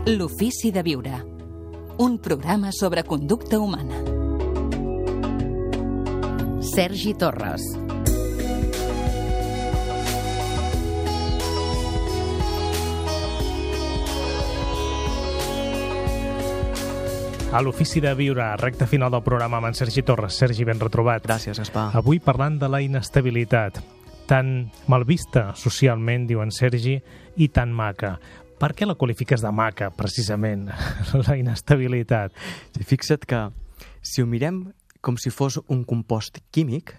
L'ofici de viure. Un programa sobre conducta humana. Sergi Torres. A l'Ofici de Viure, recta final del programa amb en Sergi Torres. Sergi, ben retrobat. Gràcies, Gaspar. Avui parlant de la inestabilitat, tan mal vista socialment, diu en Sergi, i tan maca. Per què la qualifiques de maca, precisament, la inestabilitat? Fixa't que si ho mirem com si fos un compost químic,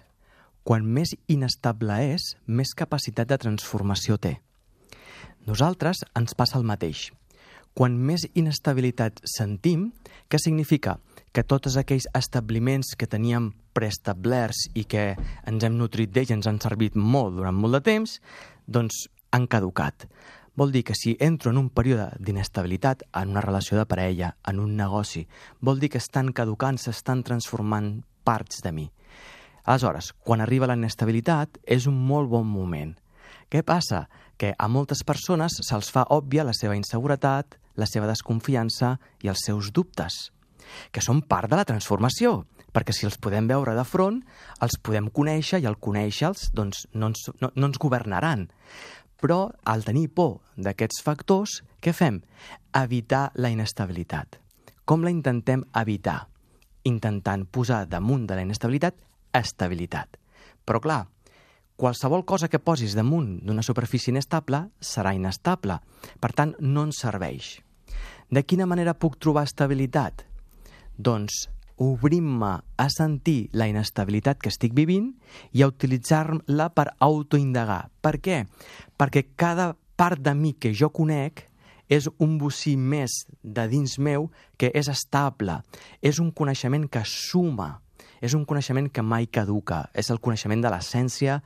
quan més inestable és, més capacitat de transformació té. Nosaltres ens passa el mateix. Quan més inestabilitat sentim, què significa? Que tots aquells establiments que teníem preestablerts i que ens hem nutrit d'ells, ens han servit molt durant molt de temps, doncs han caducat. Vol dir que si entro en un període d'inestabilitat, en una relació de parella, en un negoci, vol dir que estan caducant, s'estan transformant parts de mi. Aleshores, quan arriba la inestabilitat, és un molt bon moment. Què passa? Que a moltes persones se'ls fa òbvia la seva inseguretat, la seva desconfiança i els seus dubtes, que són part de la transformació, perquè si els podem veure de front, els podem conèixer i al conèixer-los doncs, no ens governaran. Però al tenir por d'aquests factors, què fem? Evitar la inestabilitat. Com la intentem evitar? Intentant posar damunt de la inestabilitat estabilitat. Però clar, qualsevol cosa que posis damunt d'una superfície inestable serà inestable. Per tant, no ens serveix. De quina manera puc trobar estabilitat? Doncs obrint-me a sentir la inestabilitat que estic vivint i a utilitzar-la per autoindagar. Per què? Perquè cada part de mi que jo conec és un bocí més de dins meu que és estable. És un coneixement que suma. És un coneixement que mai caduca. És el coneixement de l'essència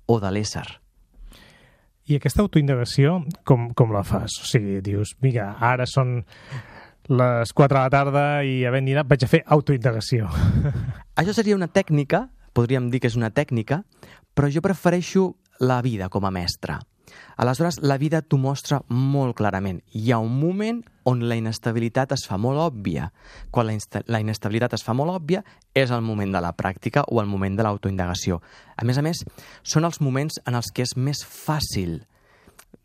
o de l'ésser. I aquesta autoindagació, com la fas? O sigui, dius, mira, ara són les 4 de la tarda i havent dinat vaig a fer autoindagació. Això seria una tècnica, podríem dir que és una tècnica, però jo prefereixo la vida com a mestra. Aleshores, la vida t'ho mostra molt clarament. Hi ha un moment on la inestabilitat es fa molt òbvia. Quan la inestabilitat es fa molt òbvia, és el moment de la pràctica o el moment de l'autoindagació. A més, són els moments en els que és més fàcil,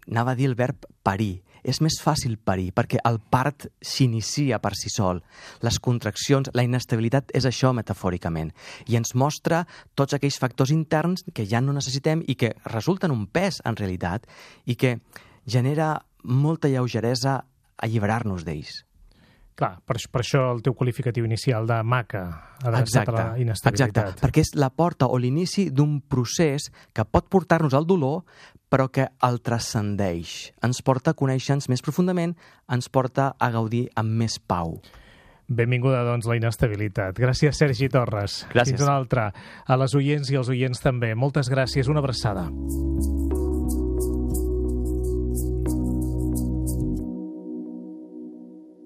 anava a dir el verb parir, és més fàcil parir, perquè el part s'inicia per si sol. Les contraccions, la inestabilitat és això metafòricament, i ens mostra tots aquells factors interns que ja no necessitem i que resulten un pes en realitat i que genera molta lleugeresa alliberar-nos d'ells. Clar, per això el teu qualificatiu inicial de maca, adreçat a la inestabilitat. Exacte, perquè és la porta o l'inici d'un procés que pot portar-nos al dolor, però que el transcendeix. Ens porta a conèixer-nos més profundament, ens porta a gaudir amb més pau. Benvinguda, doncs, la inestabilitat. Gràcies, Sergi Torres. Gràcies. Fins una altra. A les oients i als oients també. Moltes gràcies. Una abraçada.